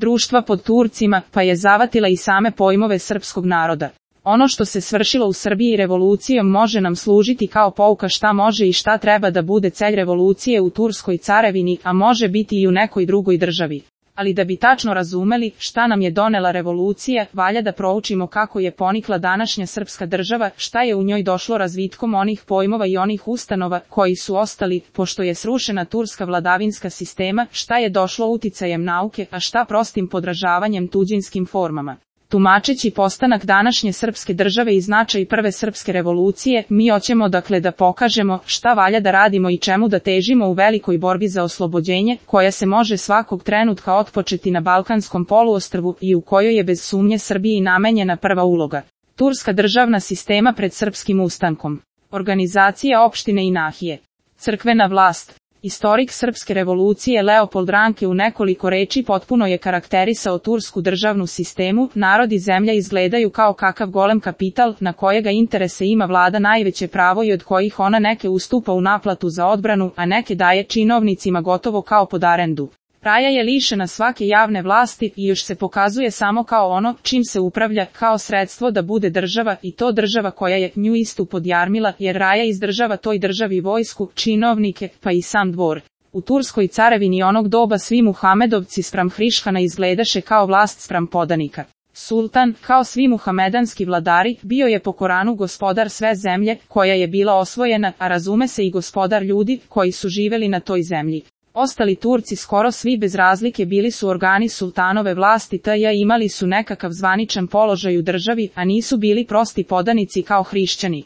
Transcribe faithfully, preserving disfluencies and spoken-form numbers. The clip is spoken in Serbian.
društva pod Turcima, pa je zavatila i same pojmove srpskog naroda. Ono što se svršilo u Srbiji revolucijom može nam služiti kao pouka šta može i šta treba da bude cilj revolucije u Turskoj carevini, a može biti i u nekoj drugoj državi. Ali da bi tačno razumeli šta nam je donela revolucija, valja da proučimo kako je ponikla današnja srpska država, šta je u njoj došlo razvitkom onih pojmova i onih ustanova koji su ostali, pošto je srušena turska vladavinska sistema, šta je došlo uticajem nauke, a šta prostim podražavanjem tuđinskim formama. Tumačeći postanak današnje srpske države i značaj prve srpske revolucije, mi hoćemo dakle da pokažemo šta valja da radimo i čemu da težimo u velikoj borbi za oslobođenje, koja se može svakog trenutka otpočeti na Balkanskom poluostrvu i u kojoj je bez sumnje Srbiji namenjena prva uloga. Turska državna sistema pred srpskim ustankom. Organizacija opštine i nahije. Crkvena vlast. Istorik srpske revolucije Leopold Ranke u nekoliko reči potpuno je karakterisao tursku državnu sistemu. Narod i zemlja izgledaju kao kakav golem kapital, na kojega interese ima vlada najveće pravo i od kojih ona neke ustupa u naplatu za odbranu, a neke daje činovnicima gotovo kao pod arendu. Raja je lišena svake javne vlasti i još se pokazuje samo kao ono čim se upravlja, kao sredstvo da bude država, i to država koja je nju istu podjarmila, jer Raja izdržava toj državi vojsku, činovnike, pa i sam dvor. U Turskoj carevini onog doba svi Muhamedovci spram Hrišhana izgledaše kao vlast spram podanika. Sultan, kao svi muhamedanski vladari, bio je po Koranu gospodar sve zemlje koja je bila osvojena, a razume se i gospodar ljudi koji su živeli na toj zemlji. Ostali Turci skoro svi bez razlike bili su organi sultanove vlasti te imali su nekakav zvaničan položaj u državi, a nisu bili prosti podanici kao hrišćani.